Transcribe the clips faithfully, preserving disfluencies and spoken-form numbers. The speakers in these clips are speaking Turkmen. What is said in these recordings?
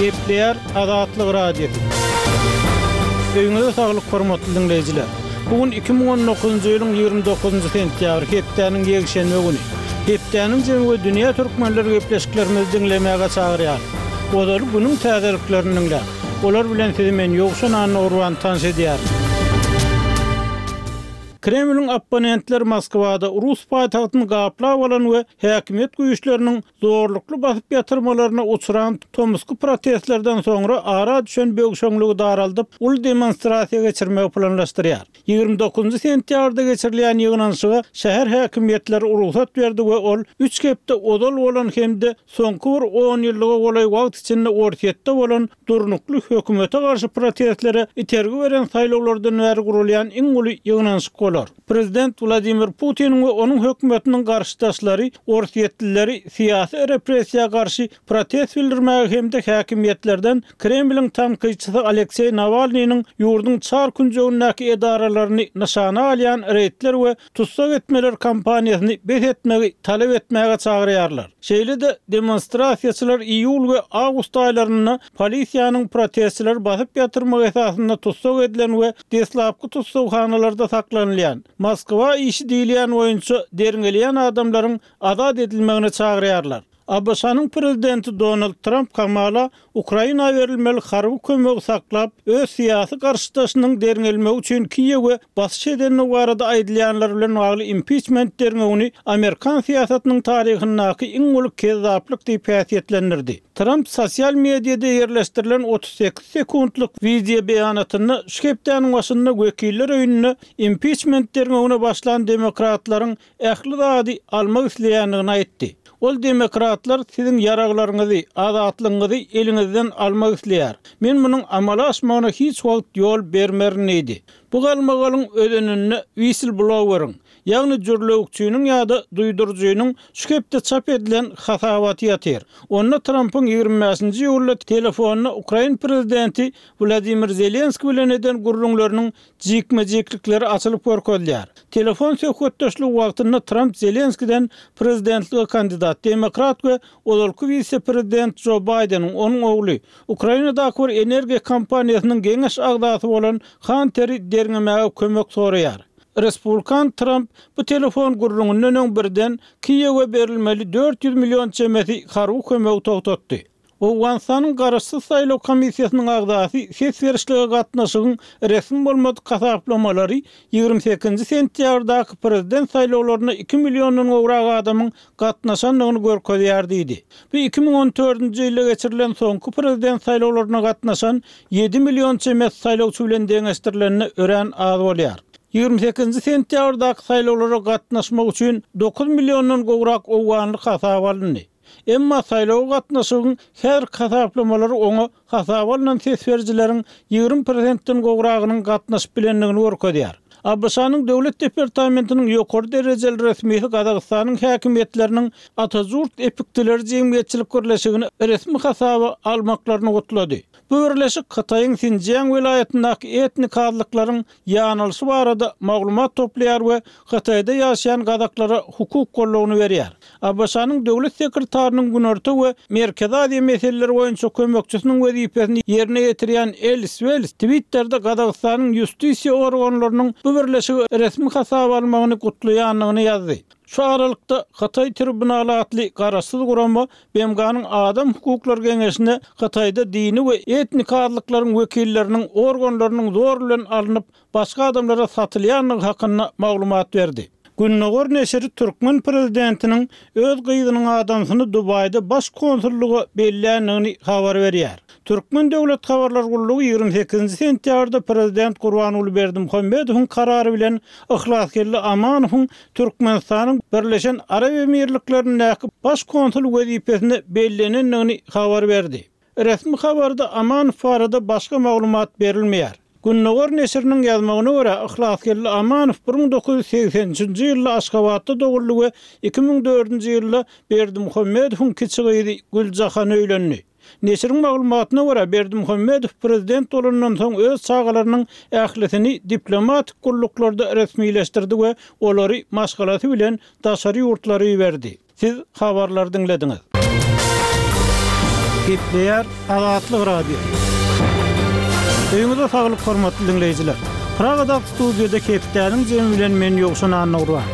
Gepleýär Azatlyk Radiosy. Öýüňize saglyk hormatly diňleýjiler. Bu gün iki müň on dokuzynjy ýylyň ýigrimi dokuzynjy sentýabry, hepdäniň ýekşenbe güni. Hepdäniň jemi we dünýä türkmenleri gepleşiklerimizi diňlemäge çagyrýar. Ozaly günüň täzeliklerini diňläň. Olar bilen sizi men Ýowşan Annagurban tanyş edýärin. Kremliň opponentleri Moskwada rus paýtagtyny gaplap alan we häkimiýet güýçleriniň zorlukly basyp ýatyrmalaryna uçran tomusky protestlerden soňra ara düşen böwşeňligi daraldyp, uly demonstrasiýa geçirmegi planlaşdyrýar. Ýigrimi dokuzynjy sentýabrda geçirilýän ýygnanyşyga şäher häkimiýetleri rugsat berdi we ol üç hepde ozal bolan hem-de soňky bir on ýyllyga golaý wagt içinde Orsýetde bolan durnukly hökümete garşy protestlere itergi beren saýlawlardan bäri gurulýan iň uly ýygnanyşyk bolar. Prezident Wladimir Putiniň we onuň hökümetiniň garşydaşlary orsýetlileri syýasy repressiýa garşy protest bildirmäge hem-de häkimiýetlerden Kremliň tankytçysy Alekseý Nawalnynyň ýurduň çar künjegindäki edaralaryny nyşana alýan reýdler we tussag etmeler kampaniýasyny bes etmegi talap etmäge çagyrýarlar. Şeýle-de demonstrasiýaçylar iýul we awgust aýlarynda polisiýanyň protestçileri basyp ýatyrmak esasynda tussag edilen we deslapky tussaghanalarda saklanylýan Moskwa işi diýilýän boýunça derňelýän adamlaryň azat edilmegine çagyrýarlar. ABŞ-nyň prezidenti Donald Tramp hamala Ukraina berilmeli harby kömegi saklap, öz syýasy garşydaşynyň derňelmegi üçin Kiýewe basyş edendigi barada aýdylýanlar bilen bagly impiçment derňewini amerikan syýasatynyň taryhyndaky iň uly kezzaplyk diýip häsiýetlendirdi. Tramp sosial mediada ýerleşdirilen otuz sekiz sekuntlyk wideo beýanatynda şu hepdäniň başynda Wekiller öýünde impiçment derňewine başlan demokratlaryň ähli zady almak isleýändigini aýtdy. Ol demokratlar siziň ýaraglaryňyzy, azatlygyňyzy eliňizden almak isleýär. Men munuň amala aşmagyna hiç wagt ýol bermerin diýdi. Bu galmagalyň özeninde whistleblower-iň, ýagny jürlewükçiniň ýa-da duýduryjynyň şu hepde çap edilen hasabaty ýatyr. Onda Trampyň ýigrimi bäşinji iýulda telefonda ukrain prezidenti Wladimir Zelenskiý bilen eden gürrüňleriniň jikme-jiklikleri açylyp görkezilýär. Telefon söhbetdeşligi wagtynda Tramp Zelenskiden prezidentlige kandidat demokrat we ozalky wise-prezident Jo Baýdeniň, onuň ogly, Ukrainadaky bir energiýa kompaniýasynyň geňeş agzasy bolan Hanteri derňemäge kömek soraýar. Respublikan Tramp bu telefon gürrüňinden öň birden Kiýewe berilmeli dört ýüz million çemesi harby kömegi togtatdy. Owganystanyň Garaşsyz saýlaw komissiýasynyň agzasy ses berişlige gatnaşygyň resmi bolmadyk hasaplamalary ýigrimi sekizinji sentýabrdaky prezident saýlawlaryna iki milliondan gowrak adamyň gatnaşandygyny görkezýär diýdi. Bu iki müň on dördünji ýylda geçirilen soňky prezident saýlawlaryna gatnaşan ýedi million çemesi saýlawçy bilen deňeşdirilende örän az bolýar. Ýigrimi sekizinji sentýabrdaky saýlawlara gatnaşmak üçin dokuz milliondan gowrak owganly hasaba alyndy. Emma saýlawa gatnaşygyň häzirki hasaplamalary oňa hasaba alnan ses berijileriň ýigrimi prosentden gowragynyň gatnaşyp bilendigini görkezýär. ABŞ-nyň Döwlet departamentiniň ýokary derejeli resmisi Gazagystanyň häkimiýetleriniň Atajurt epiktileri jemgyýetçilik birleşigini resmi hasaba almaklaryny gutlady. Bu birleşik Hytaýyň Sinjiang welaýatyndaky etnik azlyklaryň ýanylyşy barada maglumat toplaýar we Hytaýda ýaşaýan gazaklara hukuk goldawyny berýär. ABŞ-nyň Döwlet sekretarynyň Günorta we Merkezi Aziýa meseleleri boýunça kömekçisiniň wezipesini ýerine ýetirýän Elis Wels Twitterde Gazagystanyň ýustisiýa organlarynyň bu birleşigi resmi hasaba almagyny gutlaýandygyny ýazdy. Şu aralykda Hytaý tribunaly atly garaşsyz gurama B M G-nyň Adam hukuklary geňeşine Hytaýda dini we etnik azlyklaryň wekilleriniň organlarynyň zor bilen alnyp başga adamlara satylýandygy hakynda maglumat berdi. Gündogar neşiri türkmen prezidentiniň öz gyzynyň adamsyny Dubaýda baş konsullyga belländigini habar berýär. Türkmen döwlet habarlar gullugy ýigrimi sekizinji sentýabrda prezident Gurbanguly Berdimuhamedowyň karary bilen Yhlasgeldi Amanowyň Türkmenistanyň Birleşen Arap Emirliklerindäki baş konsul wezipesine bellenendigini habar berdi. Resmi habarda Amanow barada başga maglumat berilmeýär. Gündogar neşiriniň ýazmagyna görä Yhlasgeldi Amanow bir müň dokuz ýüz segsen üçünji ýylda Aşgabatda doguldy we iki müň dördünji ýylda Berdimuhamedowyň kiçi gyzy Güljahana öýlendi. Neşiriň maglumatyna görä Berdimuhamedow prezident bolandan soň öz çagalarynyň ählisini diplomatik gulluklarda resmileşdirdi we olary maşgalasy bilen daşary ýurtlara iberdi. Siz habarlary diňlediňiz. Gepleýär Azatlyk Radiosy. Öýüňize saglyk hormatly diňleýjiler. Pragadaky studiýada hepdäniň jemi bilen men Ýowşan Annagurban.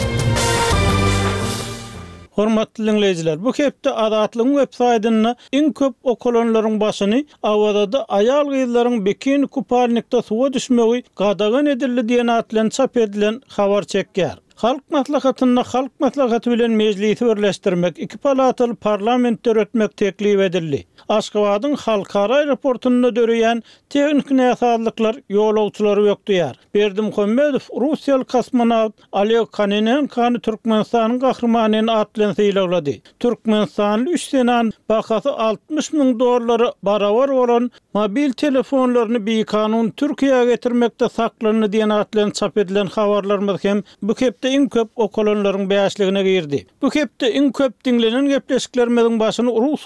Hormatly diňleýjiler, bu hepde Azatlygyň web saýtynda iň köp okalanlaryň başyny Awazada aýal-gyzlaryň bikini kupalnikde suwa düşmegi gadagan edildi diýen at bilen çap edilen habar çekýär. Halk Maslahatynda Halk Maslahaty bilen Mejlisi birleşdirmek, iki palataly parlament döretmek teklip edildi. Aşgabadyň halkara aeroportunda döreýän tehniki näsazlyklar ýolagçylary bökdeýär. Berdimuhamedow russiýaly kosmonawt Oleg Kononenkony Türkmenistanyň Gahrymany at bilen sylaglady. Türkmenistanly üç zenan bahasy altmyş müň dollara barabar bolan mobil telefonlaryny bikanun Türkiýä getirmekde saklandy diýen at bilen çap edilen habarlarymyz hem bu hepde iň köp okalanlaryň bäşligine girdi. Bu hepde iň köp diňlenen gepleşiklerimiziň başyny rus